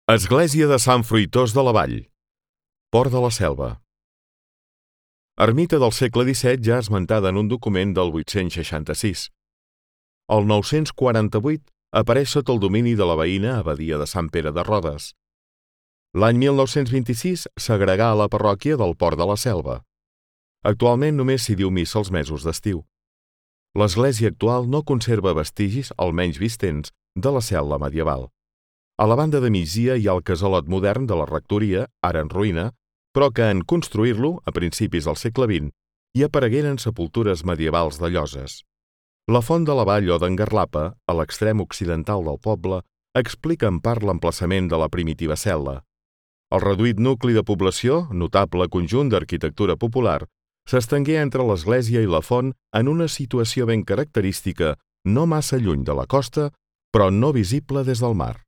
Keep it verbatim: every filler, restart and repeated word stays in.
Església de Sant Fruitós de la Vall, Port de la Selva. Ermita del segle disset ja esmentada en un document del vuit-cents seixanta-sis. El nou-cents quaranta-vuit apareix sota el domini de la veïna abadia de Sant Pere de Rodes. L'any mil nou-cents vint-i-sis s'agregà a la parròquia del Port de la Selva. Actualment només s'hi diu missa els mesos d'estiu. L'església actual no conserva vestigis, almenys vistents, de la cel·la medieval. A la banda de migdia hi ha el casalot modern de la rectoria, ara en ruïna, però que en construir-lo, a principis del segle vint, hi aparegueren sepultures medievals de lloses. La font de la vall o d'en Garlapa, a l'extrem occidental del poble, explica en part l'emplaçament de la primitiva cel·la. El reduït nucli de població, notable conjunt d'arquitectura popular, s'estengué entre l'església i la font en una situació ben característica, no massa lluny de la costa, però no visible des del mar.